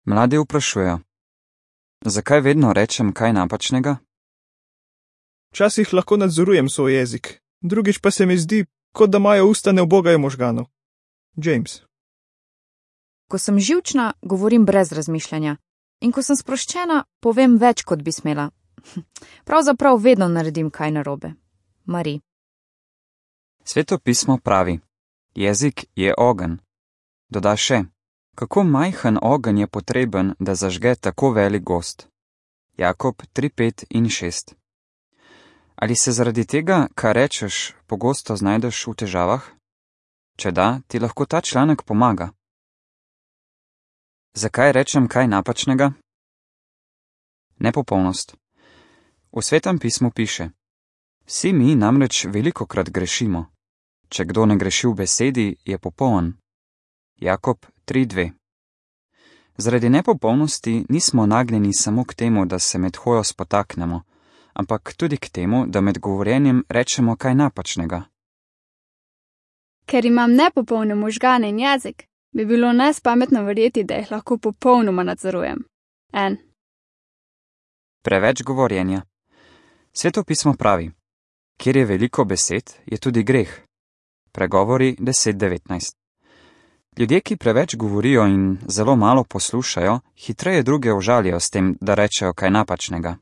Mladi vprašujejo: zakaj vedno rečem kaj napačnega? Včasih lahko nadzorujem svoj jezik, drugič pa se mi zdi, kot da imajo usta ne ubogajo možganov. James. Ko sem živčna, govorim brez razmišljanja. In ko sem sproščena, povem več, kot bi smela. Pravzaprav vedno naredim kaj narobe. Marie. Sveto pismo pravi: jezik je ogenj. Doda še: kako majhen ogenj je potreben, da zažge tako velik gozd. Jakob 3:5 in 6. Ali se zaradi tega, kar rečeš, pogosto znajdeš v težavah? Če da, ti lahko ta članek pomaga. Zakaj rečem kaj napačnega? Nepopolnost. V Svetem pismu piše: vsi mi namreč velikokrat grešimo. Če kdo ne greši v besedi, je popoln. Jakob 3:2. Zaradi nepopolnosti nismo nagnjeni samo k temu, da se med hojo spotaknemo, ampak tudi k temu, da med govorjenjem rečemo kaj napačnega. Ker imam nepopolne možgane in jezik, bi bilo nespametno verjeti, da jih lahko popolnoma nadzorujem. Preveč govorjenja. Sveto pismo pravi: kjer je veliko besed, je tudi greh. Pregovori 10:19. Ljudje, ki preveč govorijo in zelo malo poslušajo, hitreje druge užalijo s tem, da rečejo kaj napačnega.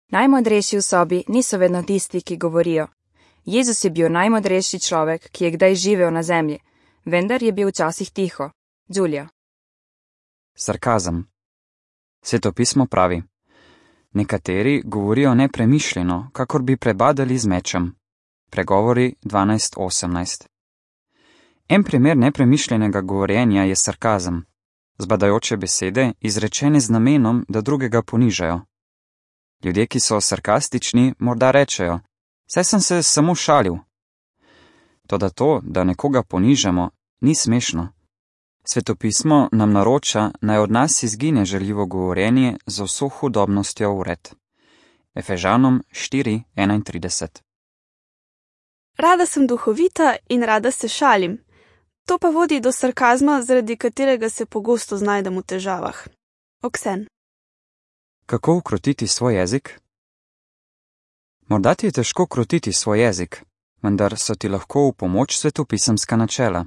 Najmodrejši v sobi niso vedno tisti, ki govorijo. Jezus je bil najmodrejši človek, ki je kdaj živel na zemlji, vendar je bil včasih tiho. Julia. Sarkazem. Sveto pismo pravi: nekateri govorijo nepremišljeno, kakor bi prebadali z mečem. Pregovori 12:18. En primer nepremišljenega govorjenja je sarkazem. Zbadajoče besede, izrečene z namenom, da drugega ponižajo. Ljudje, ki so sarkastični, morda rečejo: saj sem se samo šalil. Toda to, da nekoga ponižamo, ni smešno. Svetopismo nam naroča, naj od nas izgine žaljivo govorjenje z vso hudobnostjo vred. Efežanom 4:31. Rada sem duhovita in rada se šalim. To pa vodi do sarkazma, zaradi katerega se pogosto znajdem v težavah. Oksen. Kako ukrotiti svoj jezik? Morda ti je težko krotiti svoj jezik, vendar so ti lahko v pomoč svetopisemska načela.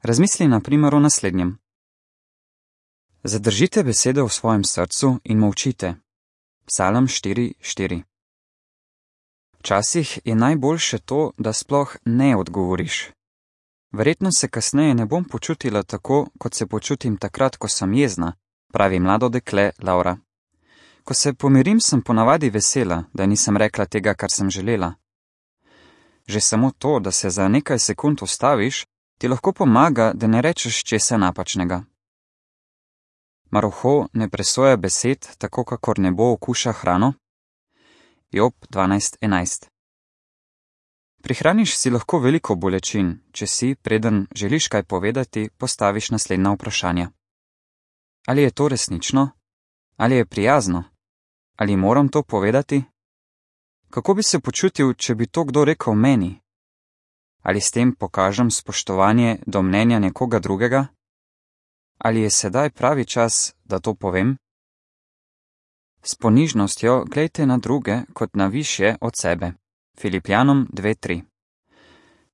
Razmisli na primer o naslednjem. Zadržite besede v svojem srcu in molčite. Psalm 4:4. Včasih je najboljše to, da sploh ne odgovoriš. Verjetno se kasneje ne bom počutila tako, kot se počutim takrat, ko sem jezna, pravi mlado dekle Laura. Ko se pomirim, sem ponavadi vesela, da nisem rekla tega, kar sem želela. Že samo to, da se za nekaj sekund ustaviš, ti lahko pomaga, da ne rečeš česa napačnega. Mar ne presoja besed, tako kakor nebo okuša hrano? Job 12:11. Prihraniš si lahko veliko bolečin, če si, preden želiš kaj povedati, postaviš naslednja vprašanja. Ali je to resnično? Ali je prijazno? Ali moram to povedati? Kako bi se počutil, če bi to kdo rekel meni? Ali s tem pokažem spoštovanje do mnenja nekoga drugega? Ali je sedaj pravi čas, da to povem? S ponižnostjo glejte na druge kot na višje od sebe. Filipljanom 2:3.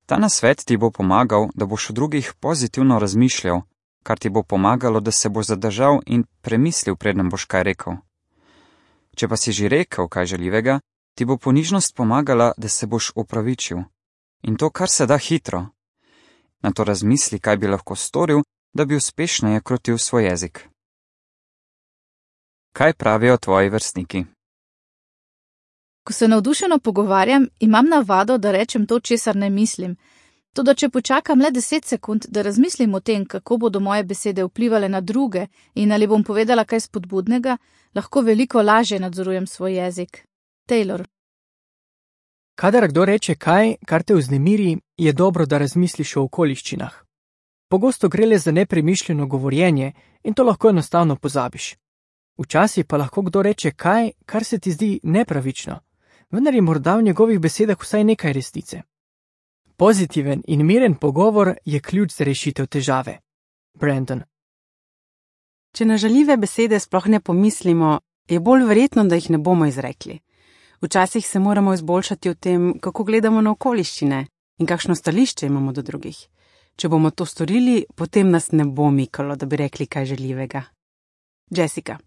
Ta nasvet ti bo pomagal, da boš o drugih pozitivno razmišljal, kar ti bo pomagalo, da se boš zadržal in premislil, preden boš kaj rekel. Če pa si že rekel kaj žaljivega, ti bo ponižnost pomagala, da se boš opravičil. In to kar se da hitro. Nato razmisli, kaj bi lahko storil, da bi uspešneje krotil svoj jezik. Kaj pravijo tvoji vrstniki? Ko se navdušeno pogovarjam, imam navado, da rečem to, česar ne mislim. Toda če počakam le 10 sekund, da razmislim o tem, kako bodo moje besede vplivale na druge in ali bom povedala kaj spodbudnega, lahko veliko lažje nadzorujem svoj jezik. Taylor. Kadar kdo reče kaj, kar te vznemiri, je dobro, da razmisliš o okoliščinah. Pogosto gre le za nepremišljeno govorjenje in to lahko enostavno pozabiš. Včasih pa lahko kdo reče kaj, kar se ti zdi nepravično, vendar je morda v njegovih besedah vsaj nekaj resnice. Pozitiven in miren pogovor je ključ za rešitev težave. Brandon. Če na žaljive besede sploh ne pomislimo, je bolj verjetno, da jih ne bomo izrekli. Včasih se moramo izboljšati v tem, kako gledamo na okoliščine in kakšno stališče imamo do drugih. Če bomo to storili, potem nas ne bo mikalo, da bi rekli kaj žaljivega. Jessica.